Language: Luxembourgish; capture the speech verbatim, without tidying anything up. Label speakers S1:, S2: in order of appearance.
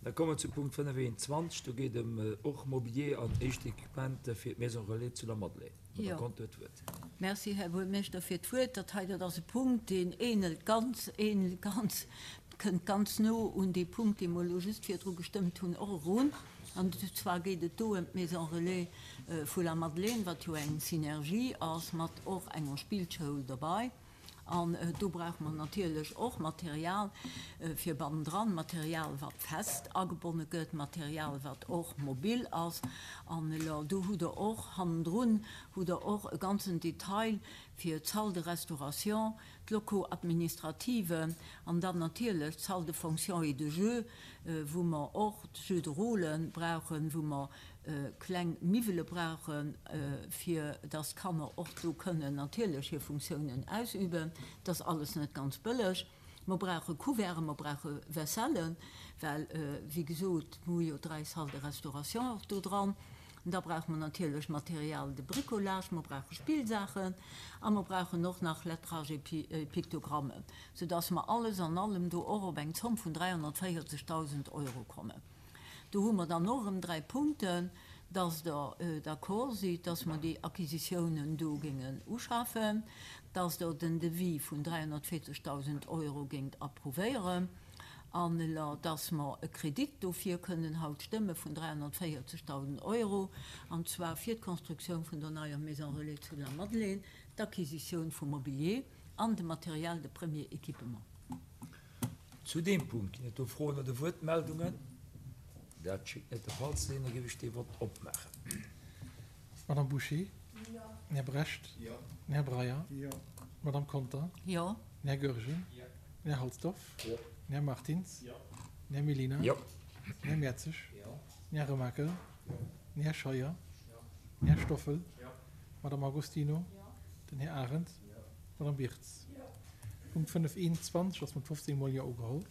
S1: Da komme mer zu Punkt fënnefhunnerteenundzwanzeg. Do geet ëm och Mobilier an éischt Equipementer fir d'Maison Relais zu Lamadelaine. Madame
S2: Jo.
S1: Conter huet d'Wuert.
S2: Merci, Här Buergermeeschter, fir d'Wuert. Dat hei, dat ass e Punkt, deen ähnelt ganz, ähnelt ganz, kënnt ganz no un dee Punkt, dee mer elo just virdru gestëmmt hunn, och erun. An zwar geet et do ëm d'Maison Relais vu Lamadelaine, wat jo eng Synergie ass mat och enger Spillschoul dobei. An do brauche mer natierlech och Material fir bannendran, Material, wat fest agebonne gëtt, Material, wat och mobil ass. An elo do hutt Der och hannendrun hutt Der och e ganzen Detail fir d'Salle de restauration, d'Locaux administrative an dann natierlech d'Salle de fonction et de jeu, wou mer och d'Jeux de rôle brauchen, wou mer kleng Miwwele brauchen, fir dass d'Kanner och do kënnen natierlech hir Funktiounen ausüben. Dat ass alles net ganz bëlleg. Mer brauche Couverten, mer brauche Vaisselle, well, wéi gesot, mer hu jo dräi Salles de restauration och do dran. Da brauche mer natierlech Material de bricolage, mer brauche Spillsaachen a mer brauchen och nach Lettrage et Pictogrammen, soudass mer alles an allem do och op eng Zomm vun dräihonnertvéierzegdausend Euro kommen. Do hu mer dann och erëm dräi Punkten, dass Der d'accord sidd, dass mer déi Acquisitiounen do géingen uschafen, dass Der den Devis vun dräihonnertvéierzegdausend Euro géingt approuvéieren an dass mer e Kredit dofir kënnen haut stëmme vun dräihonnertvéierzegdausend Euro, an zwar fir d'Constructioun vun der neier Maison Relais zu Lamadelaine, d'Acquisitioun vum Mobilier an de Matériel de premier équipement.
S1: Zu deem Punkt ginn et do Froen oder Wuertmeldungen? Dat schéngt net de Fall ze sinn. Da géif ech dee Vott opmaachen.
S3: Madame Bouché?
S2: Jo.
S3: Den Här Brecht?
S1: Jo.
S3: Den Här Breyer?
S4: Jo.
S3: D'Madame Conter?
S2: Jo.
S3: Den Här Goergen?
S1: Jo.
S3: Den Här Halsdorf?
S1: Jo.
S3: Den Här Martins?
S1: Jo.
S3: Den Här Mellina?
S1: Jo.
S3: Den Här Mertzig?
S1: Jo.
S3: Den Här Remakel?
S1: Jo.
S3: Den Här Scheuer?
S1: Jo.
S3: Den Här Stoffel?
S1: Jo.
S3: D'Madame Agostino?
S2: Jo.
S3: Den Här Arendt?
S1: Jo.
S3: D'Madame Birtz?
S2: Jo.
S3: Punkt fënnef eenundzwanzeg ass mat fofzéng Mol Jo ugeholl.